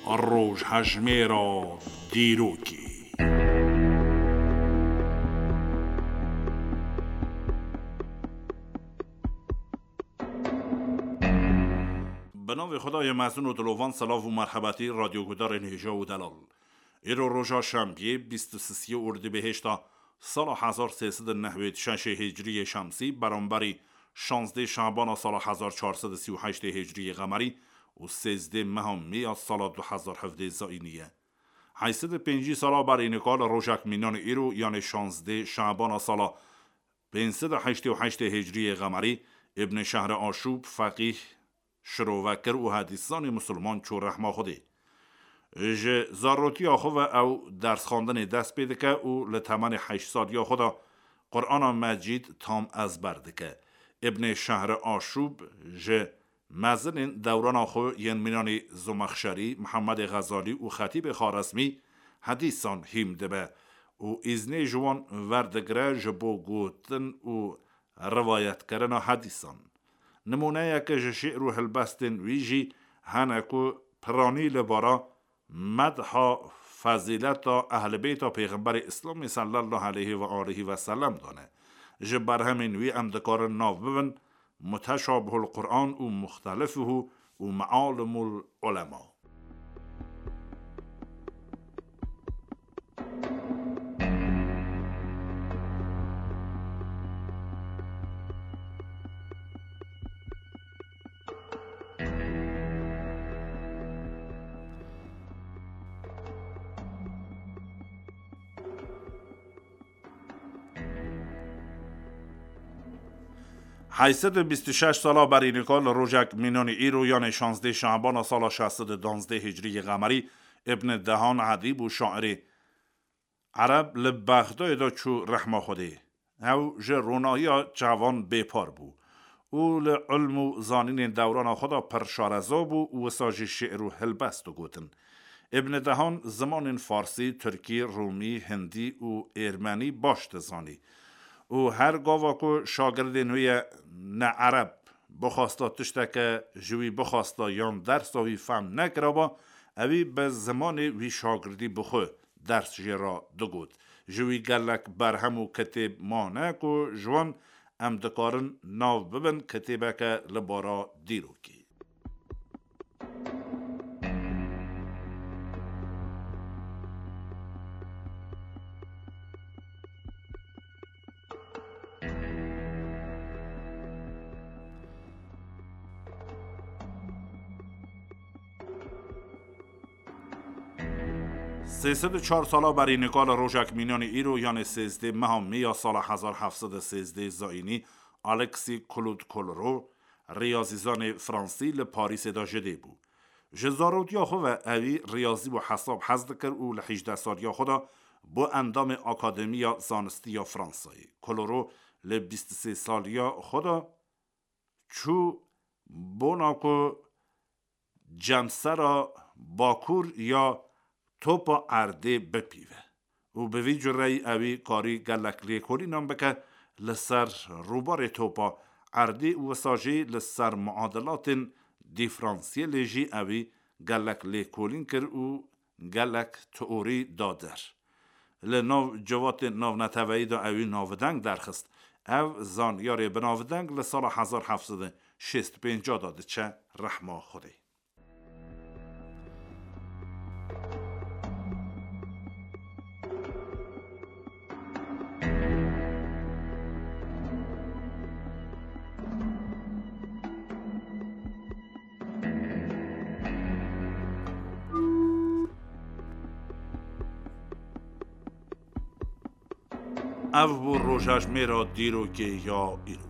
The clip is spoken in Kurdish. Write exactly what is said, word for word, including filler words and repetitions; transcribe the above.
Rojhejmêra dîrokê. Bi navê Xwedayê mezin û dilovan, silav û merhebetî radyogudarên hêja û delal. Îro roja şembiyê, bîst û sisiyê Ordibêhêşta sala hezar sê sed û nehwêd şeşê Hicriyê Şemsî, beramberî şazdê Şabana sala hezar çar sed û sî û heştê Hicriyê Qemerî û sêzdê meha Mê ya sala du hezar hevdê Zayînî ye. Heyşt sed û pêncî sala berî nika li rojek mînanê îro, yanê şazdê Şabana sala pênc sed û heştê û heştê Hicriyê Qemerî, Îbnê Şehre Aşûb, feqîh, şirovekir û hedîszanê misilman çû rehma Xwedê. Ji zarotiya xwe ve ew dersxwendinê dest pê dike û li temenê heşt saliya xwe de Qur'ana Mecîd tam ezber dike. Îbnê Şehre Aşûb ji mezinên dewrana xwe yên mînanî Zomexşerî, Mihemedê Xezalî û Xetîbê Xarezmî hedîsan hîm dibe û îznê ji wan werdigire ji bo gotin û riwayetkirina hedîsan. Nimûneyeke ji şi'r û hilbestên wî jî hene ku piranî li bara medha fezîleta ehlibêta Pêxemberê Îslamê sallallahu aleyhi ve aleyhi ve sellem dane. Ji berhemên wî em dikarin nav bibin Muteşabihul Qur'an û Muxtelifuhu û Mealimul Ulema. Heyşt sed û bîst û şeş sala berî nika li rojek mînanî îro, yanê şazdê Şabana sala şeş sed û duwazdeh Hicriyê Qemerî, Îbn Dehan edîb û şairê Ereb li Bexdayê de çû rehma Xwedê. Ew ji ronahiya çavan bêpar bû û li ilm û zanînên dewrana xwe de pir şareza bû û wisa jî şi'r û hilbest digotin. Îbn Dehan zimanên farsî, tirkî, rûmî, hindî û êrmenî baş dizanî û her gava ku şagirdên wê ye ne ereb bixwasta tişteke ji wî bixwasta yan dersa wî fehm nekiraba, ewî bi zimanê wî şagirdî bi xwe ders jê re digot. Ji wî gelek berhem û kitêb mane ku ji wan em dikarin nav bibin kitêbeke li bara dîrokê. Sê sed û çar sala berî nika li rojek mînanî îro, yanê sêzdê meha Mê ya sala hezar heft sed û sêzdeh Zayînî, Alexis Claude Colero, riyazîzanê fransî, li Parîsê de ji dê bû. Ji zarotiya xwe ve ewî riyazî û hesab hez dikir û li hîjdeh saliya xwe de bû endamê Akademiya Zanistî ya Fransayê. Colero li bîst û sê saliya xwe de çû bona ku cemsera bakur ya topa erdê bipîve û bi vî cureyî ewî karî gelek lêkolînan bike li ser rûbarê topa erdê û wisa jî li ser muadilatên dîfransiyelê jî ewî gelek lêkolîn kir û gelek teorî da der. Li nav civatên navneteweyî de ewî navdeng derxist. Ev zanyarê binavdeng li sala hezar heft sed û şêst û pênc de diçe rehma Xwedê. Ev bû rojhejmêra dîrokê ya îro.